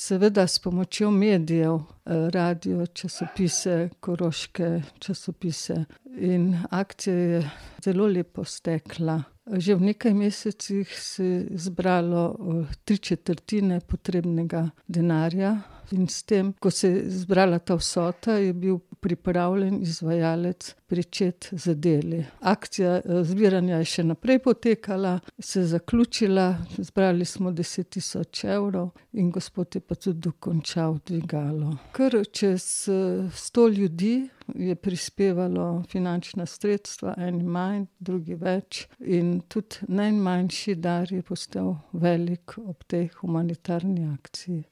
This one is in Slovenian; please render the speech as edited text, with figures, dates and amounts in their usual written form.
Seveda s pomočjo medijev, radio, časopise, koroške časopise. In akcija je zelo lepo stekla. Že v nekaj mesecih se je zbralo 3/4 potrebnega denarja in s tem, ko se je zbrala ta vsota, je bil pripravljen izvajalec pričeti z deli. Akcija zbiranja je še naprej potekala, se je zaključila, zbrali smo 10 000 evrov in gospod je pa tudi dokončal dvigalo. Kar čez 100 ljudi je prispevalo finančna sredstva, eni manj, drugi več, in tudi najmanjši dar je postal velik ob tej humanitarni akciji.